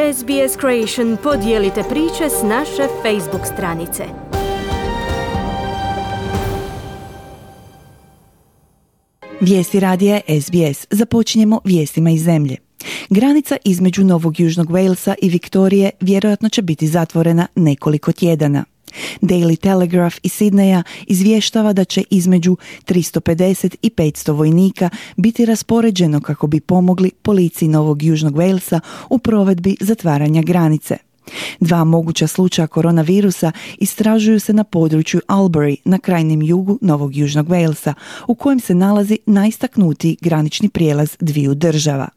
SBS Creation podijelite priče s naše Facebook stranice. Vijesti radija SBS. Započinjemo vijestima iz zemlje. Granica između Novog Južnog Walesa i Viktorije vjerojatno će biti zatvorena nekoliko tjedana. Daily Telegraph iz Sidneja izvještava da će između 350 i 500 vojnika biti raspoređeno kako bi pomogli policiji Novog Južnog Walesa u provedbi zatvaranja granice. 2 moguća slučaja koronavirusa istražuju se na području Albury na krajnjem jugu Novog Južnog Walesa, u kojem se nalazi najistaknutiji granični prijelaz dviju država.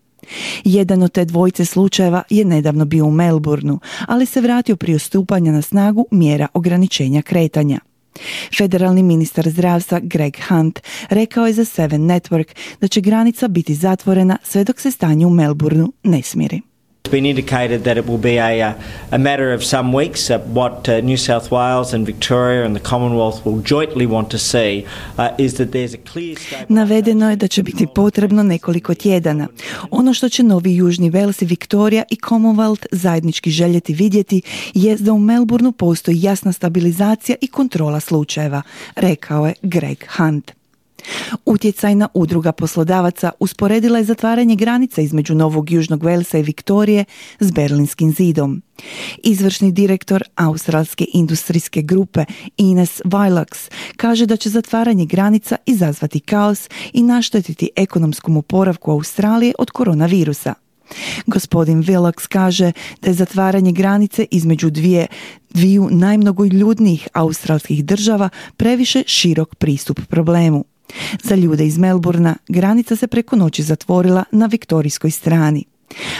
Jedan od te dvojice slučajeva je nedavno bio u Melbourneu, ali se vratio prije stupanja na snagu mjera ograničenja kretanja. Federalni ministar zdravstva Greg Hunt rekao je za Seven Network da će granica biti zatvorena sve dok se stanje u Melbourneu ne smiri. It's been indicated that it will be a matter of some weeks. What New South Wales and Victoria and the Commonwealth will jointly want to see is that there's a clear statement. Navedeno je da će biti potrebno nekoliko tjedana. Ono što će Novi Južni Wales i Viktorija i Commonwealth zajednički željeti vidjeti je da u Melbourneu postoji jasna stabilizacija i kontrola slučajeva, rekao je Greg Hunt. Utjecajna udruga poslodavaca usporedila je zatvaranje granica između Novog Južnog Walesa i Viktorije s Berlinskim zidom. Izvršni direktor australske industrijske grupe Ines Vilox kaže da će zatvaranje granica izazvati kaos i naštetiti ekonomskom oporavku Australije od koronavirusa. Gospodin Vilox kaže da je zatvaranje granice između dviju najmnogoljudnijih australskih država previše širok pristup problemu. Za ljude iz Melbournea granica se preko noći zatvorila na viktorijskoj strani.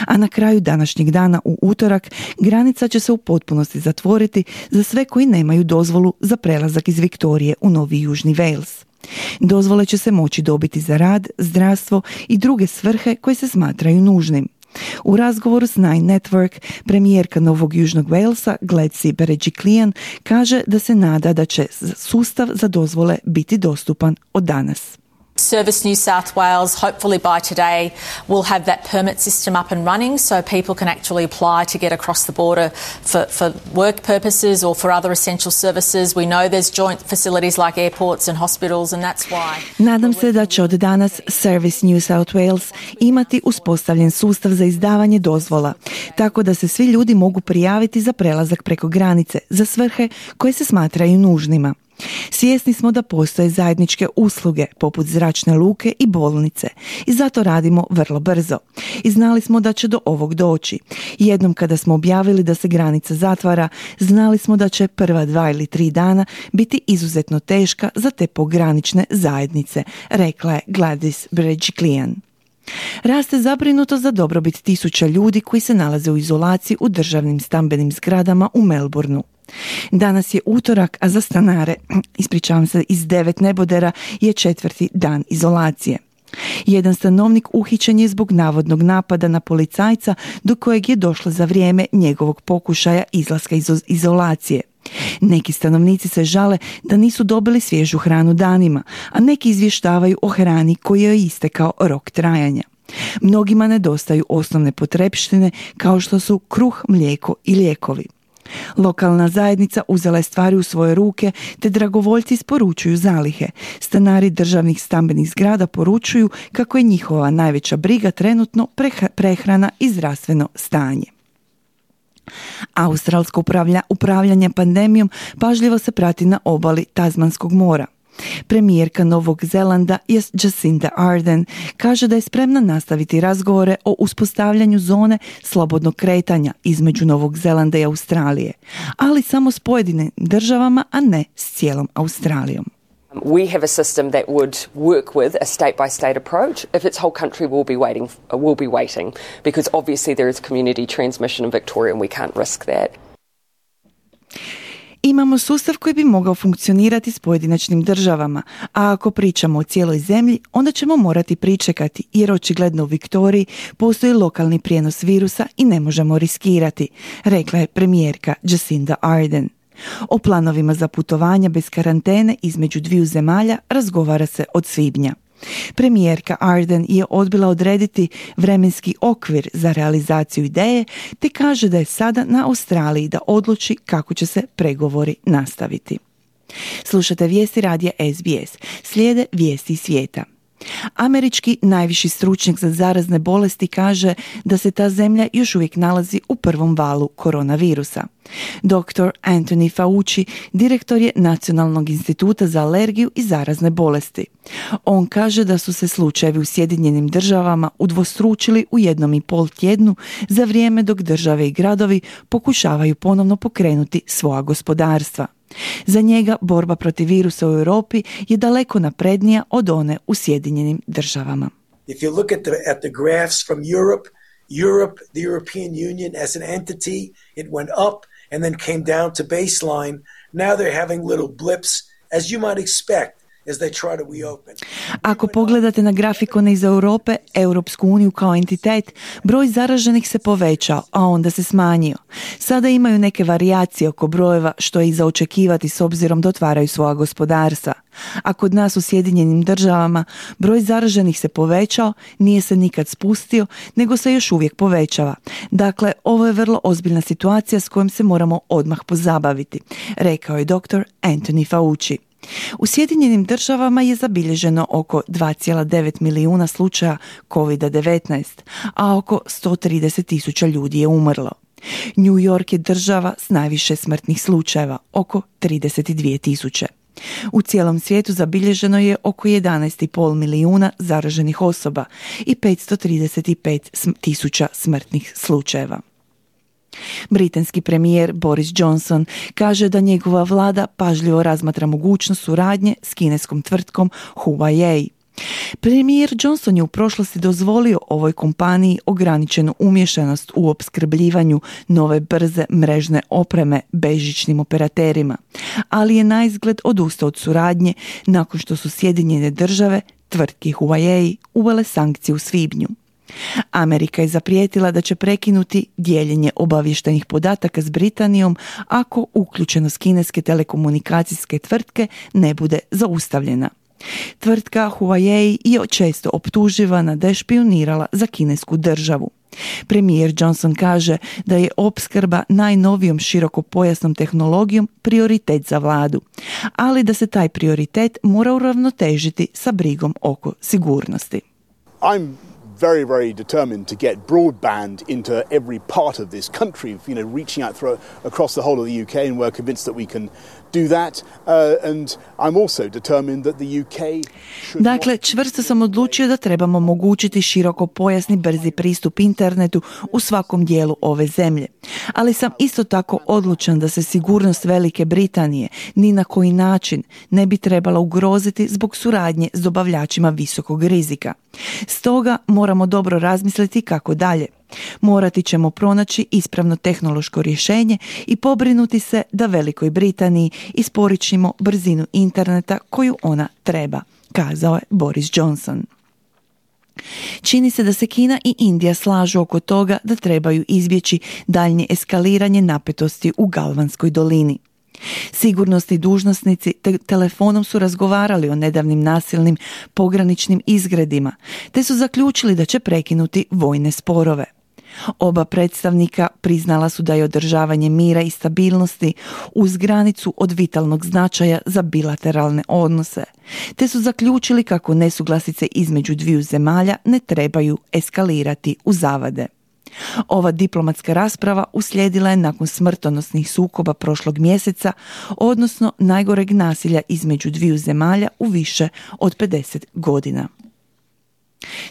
A na kraju današnjeg dana u utorak granica će se u potpunosti zatvoriti za sve koji nemaju dozvolu za prelazak iz Viktorije u Novi Južni Wales. Dozvole će se moći dobiti za rad, zdravstvo i druge svrhe koje se smatraju nužnim. U razgovoru s Nine Network, premijerka Novog Južnog Walesa Gladys Berejiklian kaže da se nada da će sustav za dozvole biti dostupan od danas. Service New South Wales, hopefully by today, will have that permit system up and running so people can actually apply to get across the border for work purposes or for other essential services. We know there's joint facilities like airports and hospitals and that's why. Nadam se da će od danas Service New South Wales imati uspostavljen sustav za izdavanje dozvola, tako da se svi ljudi mogu prijaviti za prelazak preko granice za svrhe koje se smatraju nužnima. Svjesni smo da postoje zajedničke usluge poput zračne luke i bolnice i zato radimo vrlo brzo. I znali smo da će do ovog doći. Jednom kada smo objavili da se granica zatvara, znali smo da će prva 2 ili 3 dana biti izuzetno teška za te pogranične zajednice, rekla je Gladys Berejiklian. Raste zabrinuto za dobrobit tisuća ljudi koji se nalaze u izolaciji u državnim stambenim zgradama u Melbourneu. Danas je utorak, a za stanare, iz 9 nebodera je 4. dan izolacije. Jedan stanovnik uhićen je zbog navodnog napada na policajca do kojeg je došlo za vrijeme njegovog pokušaja izlaska iz izolacije. Neki stanovnici se žale da nisu dobili svježu hranu danima, a neki izvještavaju o hrani koji je istekao rok trajanja. Mnogima nedostaju osnovne potrepštine kao što su kruh, mlijeko i lijekovi. Lokalna zajednica uzela je stvari u svoje ruke te dragovoljci isporučuju zalihe. Stanari državnih stambenih zgrada poručuju kako je njihova najveća briga trenutno prehrana i zdravstveno stanje. Australsko upravljanje pandemijom pažljivo se prati na obali Tasmanskog mora. Premijerka Novog Zelanda Jacinda Ardern kaže da je spremna nastaviti razgovore o uspostavljanju zone slobodnog kretanja između Novog Zelanda i Australije, ali samo s pojedinim državama, a ne s cijelom Australijom. We have a system that would work with a state-by-state approach if its whole country will be waiting, because obviously there is community transmission in Victoria and we can't risk that. Imamo sustav koji bi mogao funkcionirati s pojedinačnim državama, a ako pričamo o cijeloj zemlji, onda ćemo morati pričekati, jer očigledno u Viktoriji postoji lokalni prijenos virusa i ne možemo riskirati, rekla je premijerka Jacinda Ardern. O planovima za putovanja bez karantene između dviju zemalja razgovara se od svibnja. Premijerka Ardern je odbila odrediti vremenski okvir za realizaciju ideje, te kaže da je sada na Australiji da odluči kako će se pregovori nastaviti. Slušate vijesti radija SBS. Slijede vijesti iz svijeta. Američki najviši stručnjak za zarazne bolesti kaže da se ta zemlja još uvijek nalazi u prvom valu koronavirusa. Dr. Anthony Fauci, direktor je Nacionalnog instituta za alergiju i zarazne bolesti. On kaže da su se slučajevi u Sjedinjenim državama udvostručili u 1,5 tjednu za vrijeme dok države i gradovi pokušavaju ponovno pokrenuti svoja gospodarstva. Za njega borba protiv virusa u Europi je daleko naprednija od one u Sjedinjenim državama. If you look at the graphs from Europe, the European Union as an entity, it went up and then came down to baseline. Now they're having little blips, as you might expect. Ako pogledate na grafikone iz Europe, Europsku uniju kao entitet, broj zaraženih se povećao, a onda se smanjio. Sada imaju neke varijacije oko brojeva, što je i za očekivati s obzirom da otvaraju svoja gospodarstva. A kod nas u Sjedinjenim državama broj zaraženih se povećao, nije se nikad spustio, nego se još uvijek povećava. Dakle, ovo je vrlo ozbiljna situacija s kojom se moramo odmah pozabaviti, rekao je dr. Anthony Fauci. U Sjedinjenim državama je zabilježeno oko 2,9 milijuna slučaja COVID-19, a oko 130.000 ljudi je umrlo. New York je država s najviše smrtnih slučajeva, oko 32.000. U cijelom svijetu zabilježeno je oko 11,5 milijuna zaraženih osoba i 535.000 smrtnih slučajeva. Britanski premijer Boris Johnson kaže da njegova vlada pažljivo razmatra mogućnost suradnje s kineskom tvrtkom Huawei. Premijer Johnson je u prošlosti dozvolio ovoj kompaniji ograničenu umješanost u opskrbljivanju nove brze mrežne opreme bežičnim operaterima, ali je naizgled odustao od suradnje nakon što su Sjedinjene države tvrtki Huawei uvele sankcije u svibnju. Amerika je zaprijetila da će prekinuti dijeljenje obavještajnih podataka s Britanijom ako uključenost kineske telekomunikacijske tvrtke ne bude zaustavljena. Tvrtka Huawei je često optuživana da je špijunirala za kinesku državu. Premijer Johnson kaže da je opskrba najnovijom širokopojasnom tehnologijom prioritet za vladu, ali da se taj prioritet mora uravnotežiti sa brigom oko sigurnosti. I'm very determined to get broadband into every part of this country, reaching out across the whole of the UK, and we're convinced that we can do that. And I'm also determined that the UK should... Dakle, čvrsto sam odlučio da trebamo omogućiti širokopojasni brzi pristup internetu u svakom dijelu ove zemlje. Ali sam isto tako odlučan da se sigurnost Velike Britanije ni na koji način ne bi trebala ugroziti zbog suradnje s dobavljačima visokog rizika. Stoga moramo dobro razmisliti kako dalje. Morati ćemo pronaći ispravno tehnološko rješenje i pobrinuti se da Velikoj Britaniji isporučimo brzinu interneta koju ona treba, kazao je Boris Johnson. Čini se da se Kina i Indija slažu oko toga da trebaju izbjeći daljnje eskaliranje napetosti u Galvanskoj dolini. Sigurnosni dužnosnici telefonom su razgovarali o nedavnim nasilnim pograničnim izgredima, te su zaključili da će prekinuti vojne sporove. Oba predstavnika priznala su da je održavanje mira i stabilnosti uz granicu od vitalnog značaja za bilateralne odnose, te su zaključili kako nesuglasice između dviju zemalja ne trebaju eskalirati u zavade. Ova diplomatska rasprava uslijedila je nakon smrtonosnih sukoba prošlog mjeseca, odnosno najgoreg nasilja između dviju zemalja u više od 50 godina.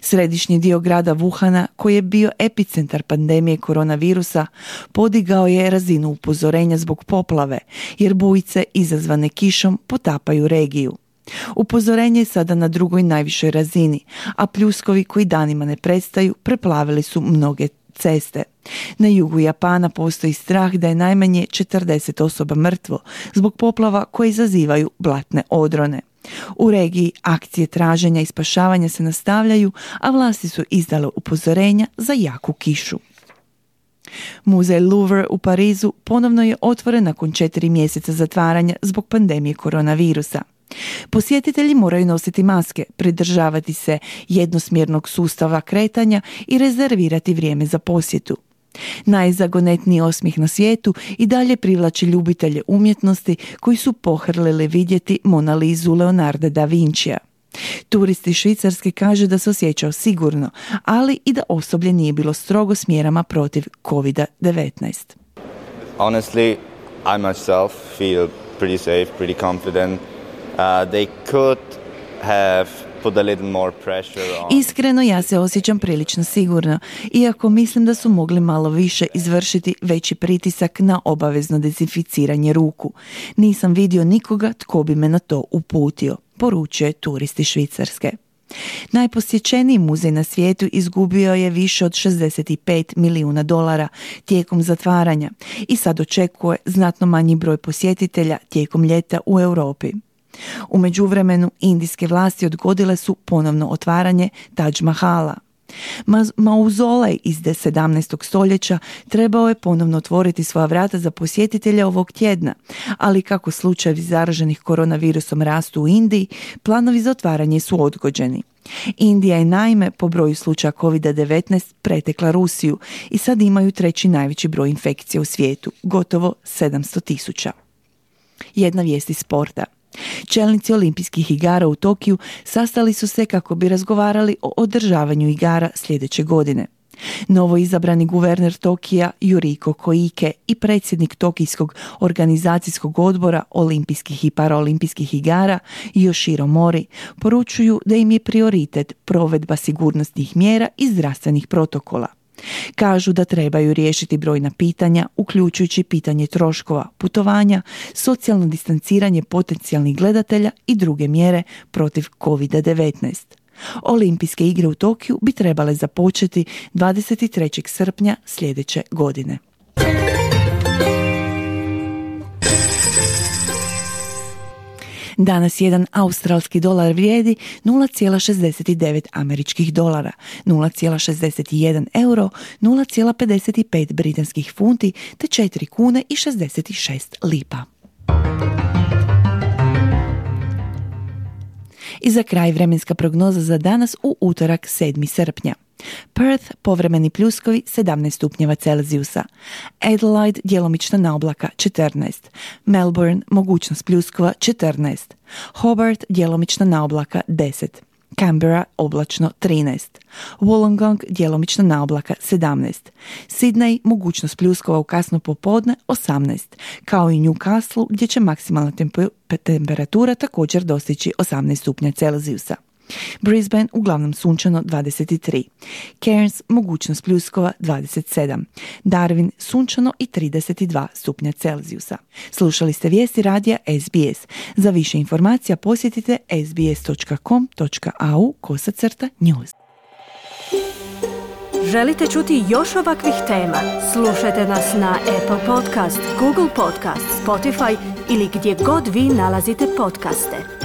Središnji dio grada Wuhana, koji je bio epicentar pandemije koronavirusa, podigao je razinu upozorenja zbog poplave, jer bujice izazvane kišom potapaju regiju. Upozorenje je sada na drugoj najvišoj razini, a pljuskovi koji danima ne prestaju preplavili su mnoge ceste. Na jugu Japana postoji strah da je najmanje 40 osoba mrtvo zbog poplava koje izazivaju blatne odrone. U regiji akcije traženja i spašavanja se nastavljaju, a vlasti su izdale upozorenja za jaku kišu. Muzej Louvre u Parizu ponovno je otvoren nakon 4 mjeseca zatvaranja zbog pandemije koronavirusa. Posjetitelji moraju nositi maske, pridržavati se jednosmjernog sustava kretanja i rezervirati vrijeme za posjetu. Najzagonetniji osmijeh na svijetu i dalje privlači ljubitelje umjetnosti koji su pohrlili vidjeti Mona Lizu Leonarda da Vincija. Turisti Švicarske kažu da se osjećao sigurno, ali i da osoblje nije bilo strogo s mjerama protiv COVID-19. Honestly, I myself feel pretty safe, pretty confident. They could have put a little more pressure on... Iskreno, ja se osjećam prilično sigurno, iako mislim da su mogli malo više izvršiti veći pritisak na obavezno dezinficiranje ruku. Nisam vidio nikoga tko bi me na to uputio, poručuje turisti Švicarske. Najposjećeniji muzej na svijetu izgubio je više od $65 milijuna tijekom zatvaranja i sad očekuje znatno manji broj posjetitelja tijekom ljeta u Europi. U međuvremenu, indijske vlasti odgodile su ponovno otvaranje Taj Mahala. Mauzolej iz 17. stoljeća trebao je ponovno otvoriti svoja vrata za posjetitelja ovog tjedna, ali kako slučajevi zaraženih koronavirusom rastu u Indiji, planovi za otvaranje su odgođeni. Indija je naime po broju slučaja COVID-19 pretekla Rusiju i sad imaju treći najveći broj infekcija u svijetu, gotovo 700,000. Jedna vijest iz sporta. Čelnici olimpijskih igara u Tokiju sastali su se kako bi razgovarali o održavanju igara sljedeće godine. Novo izabrani guverner Tokija Yuriko Koike i predsjednik Tokijskog organizacijskog odbora olimpijskih i paraolimpijskih igara Yoshiro Mori poručuju da im je prioritet provedba sigurnosnih mjera i zdravstvenih protokola. Kažu da trebaju riješiti brojna pitanja, uključujući pitanje troškova, putovanja, socijalno distanciranje potencijalnih gledatelja i druge mjere protiv COVID-19. Olimpijske igre u Tokiju bi trebale započeti 23. srpnja sljedeće godine. Danas jedan australski dolar vrijedi 0,69 američkih dolara, 0,61 euro, 0,55 britanskih funti te 4 kune i 66 lipa. I za kraj vremenska prognoza za danas u utorak 7. srpnja. Perth povremeni pljuskovi 17 stupnjeva Celzijusa, Adelaide djelomična naoblaka 14, Melbourne mogućnost pljuskova 14, Hobart djelomična naoblaka 10, Canberra oblačno 13, Wollongong djelomična naoblaka 17, Sydney mogućnost pljuskova u kasno popodne 18, kao i Newcastle gdje će maksimalna temperatura također dostići 18 stupnja Celzijusa. Brisbane uglavnom sunčano 23, Cairns mogućnost pljuskova 27, Darwin sunčano i 32 stupnja Celzijusa. Slušali ste vijesti radija SBS. Za više informacija posjetite sbs.com.au/news. Želite čuti još ovakvih tema? Slušajte nas na Apple Podcast, Google Podcast, Spotify ili gdje god vi nalazite podcaste.